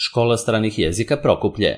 Škola stranih jezika Prokuplje.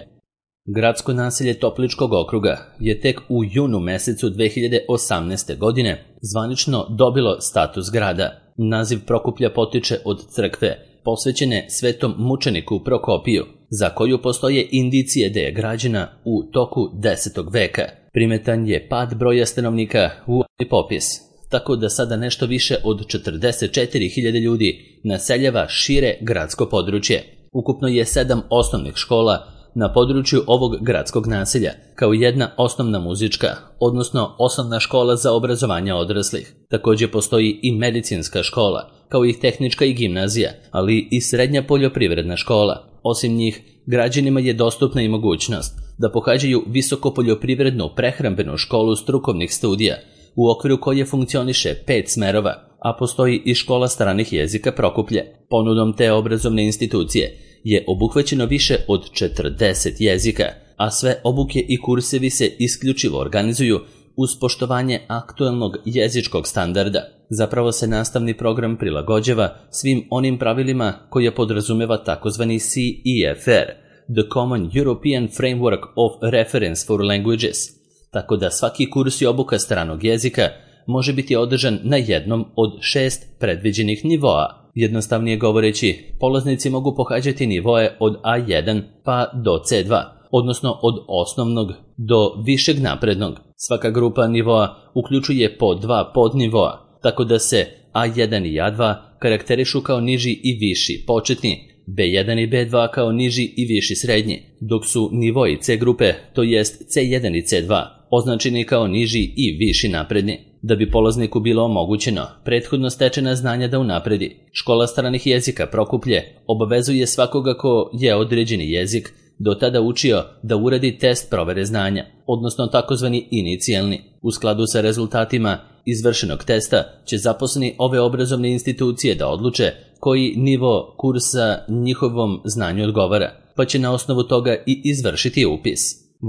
Gradsko naselje Topličkog okruga je tek u junu mesecu 2018. godine zvanično dobilo status grada. Naziv Prokuplja potiče od crkve, posvećene svetom mučeniku Prokopiju, za koju postoje indicije da je građena u toku 10. veka. Primetan je pad broja stanovnika u ovaj popis, tako da sada nešto više od 44.000 ljudi naseljava šire gradsko područje. Ukupno je 7 osnovnih škola na području ovog gradskog naselja, kao jedna osnovna muzička, odnosno osnovna škola za obrazovanje odraslih. Također postoji i medicinska škola, kao i tehnička i gimnazija, ali i srednja poljoprivredna škola. Osim njih, građanima je dostupna i mogućnost da pohađaju visoko poljoprivrednu prehrambenu školu strukovnih studija, u okviru koje funkcioniše 5 smerova, a postoji i škola stranih jezika Prokuplje. Ponudom te obrazovne institucije je obuhvaćeno više od 40 jezika, a sve obuke i kursevi se isključivo organizuju uz poštovanje aktuelnog jezičkog standarda. Zapravo se nastavni program prilagođava svim onim pravilima koje podrazumeva takozvani CEFR, The Common European Framework of Reference for Languages, tako da svaki kurs i obuka stranog jezika može biti održan na jednom od 6 predviđenih nivoa. Jednostavnije govoreći, polaznici mogu pohađati nivoe od A1 pa do C2, odnosno od osnovnog do višeg naprednog. Svaka grupa nivoa uključuje po 2 podnivoa, tako da se A1 i A2 karakterišu kao niži i viši početni, B1 i B2 kao niži i viši srednji, dok su nivoi C grupe, to jest C1 i C2, označeni kao niži i viši napredni. Da bi polazniku bilo omogućeno prethodno stečena znanja da unapredi, škola stranih jezika Prokuplje obavezuje svakoga ko je određeni jezik do tada učio da uradi test provere znanja, odnosno takozvani inicijalni. U skladu sa rezultatima izvršenog testa će zaposleni ove obrazovne institucije da odluče koji nivo kursa njihovom znanju odgovara, pa će na osnovu toga i izvršiti upis.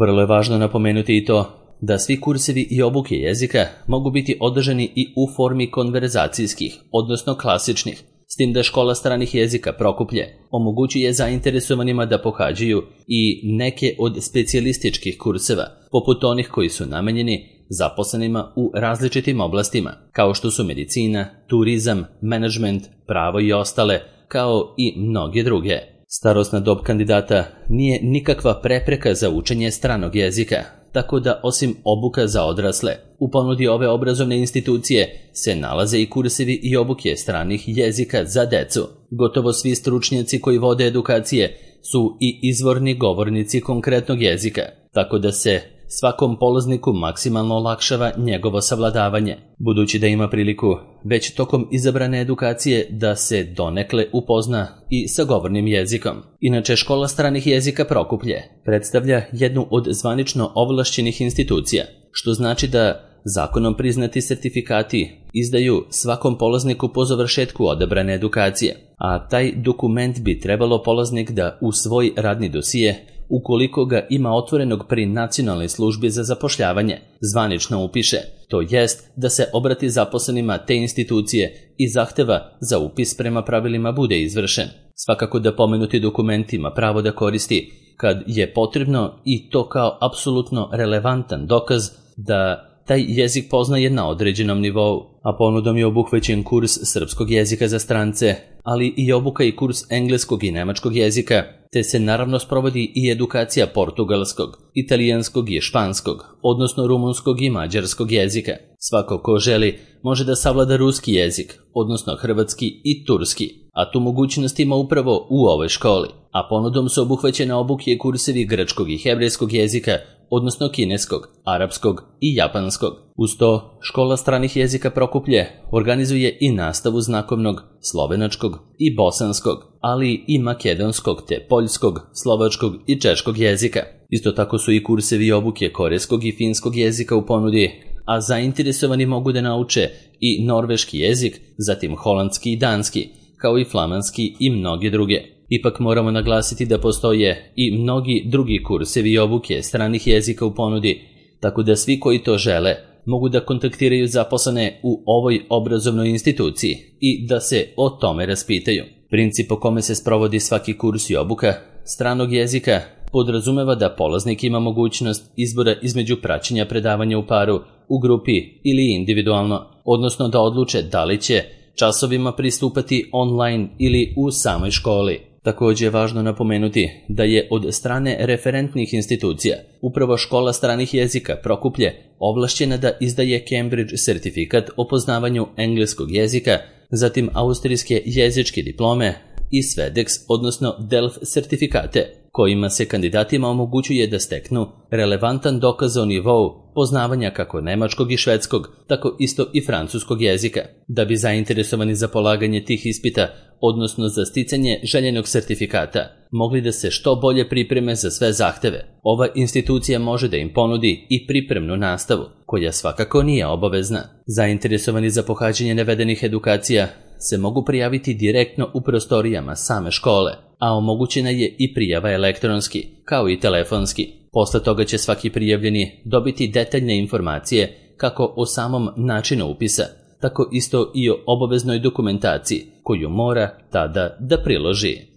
Vrlo je važno napomenuti i to da svi kursevi i obuke jezika mogu biti održani i u formi konverzacijskih, odnosno klasičnih, s tim da škola stranih jezika Prokuplje omogućuje zainteresovanima da pohađaju i neke od specijalističkih kurseva, poput onih koji su namenjeni zaposlenima u različitim oblastima, kao što su medicina, turizam, menadžment, pravo i ostale, kao i mnoge druge. Starosna dob kandidata nije nikakva prepreka za učenje stranog jezika, tako da osim obuka za odrasle, u ponudi ove obrazovne institucije se nalaze i kursevi i obuke stranih jezika za decu. Gotovo svi stručnjaci koji vode edukacije su i izvorni govornici konkretnog jezika, tako da se svakom polazniku maksimalno olakšava njegovo savladavanje, budući da ima priliku već tokom izabrane edukacije da se donekle upozna i sa govornim jezikom. Inače, škola stranih jezika Prokuplje predstavlja jednu od zvanično ovlašćenih institucija, što znači da zakonom priznati sertifikati izdaju svakom polazniku po završetku odabrane edukacije, a taj dokument bi trebalo polaznik da u svoj radni dosije, ukoliko ga ima otvorenog pri Nacionalnoj službi za zapošljavanje, zvanično upiše, to jest da se obrati zaposlenima te institucije i zahteva za upis prema pravilima bude izvršen. Svakako da pomenuti dokument ima pravo da koristi kad je potrebno i to kao apsolutno relevantan dokaz da taj jezik poznaje na određenom nivou, a ponudom je obuhvaćen kurs srpskog jezika za strance, ali i obuka i kurs engleskog i nemačkog jezika, te se naravno sprovodi i edukacija portugalskog, italijanskog i španskog, odnosno rumunskog i mađarskog jezika. Svako ko želi može da savlada ruski jezik, odnosno hrvatski i turski, a tu mogućnost ima upravo u ovoj školi, a ponudom su obuhvaćene obuke i kursevi grčkog i hebrejskog jezika, odnosno kineskog, arapskog i japanskog. Uz to, škola stranih jezika Prokuplje organizuje i nastavu znakovnog, slovenačkog i bosanskog, ali i makedonskog te poljskog, slovačkog i češkog jezika. Isto tako su i kursevi obuke korejskog i finskog jezika u ponudi, a zainteresovani mogu da nauče i norveški jezik, zatim holandski i danski, kao i flamanski i mnoge druge. Ipak moramo naglasiti da postoje i mnogi drugi kursevi i obuke stranih jezika u ponudi, tako da svi koji to žele mogu da kontaktiraju zaposlene u ovoj obrazovnoj instituciji i da se o tome raspitaju. Princip po kome se sprovodi svaki kurs i obuka stranog jezika podrazumeva da polaznik ima mogućnost izbora između praćenja predavanja u paru, u grupi ili individualno, odnosno da odluče da li će časovima pristupati online ili u samoj školi. Također je važno napomenuti da je od strane referentnih institucija upravo Škola stranih jezika Prokuplje ovlašćena da izdaje Cambridge sertifikat o poznavanju engleskog jezika, zatim austrijske jezičke diplome i Svedex, odnosno DELF sertifikate, kojima se kandidatima omogućuje da steknu relevantan dokaz o nivou poznavanja kako nemačkog i švedskog, tako isto i francuskog jezika. Da bi zainteresovani za polaganje tih ispita, odnosno za sticanje željenog sertifikata, mogli da se što bolje pripreme za sve zahteve, ova institucija može da im ponudi i pripremnu nastavu, koja svakako nije obavezna. Zainteresovani za pohađanje navedenih edukacija se mogu prijaviti direktno u prostorijama same škole, a omogućena je i prijava elektronski, kao i telefonski. Posle toga će svaki prijavljeni dobiti detaljne informacije kako o samom načinu upisa, tako isto i o obaveznoj dokumentaciji koju mora tada da priloži.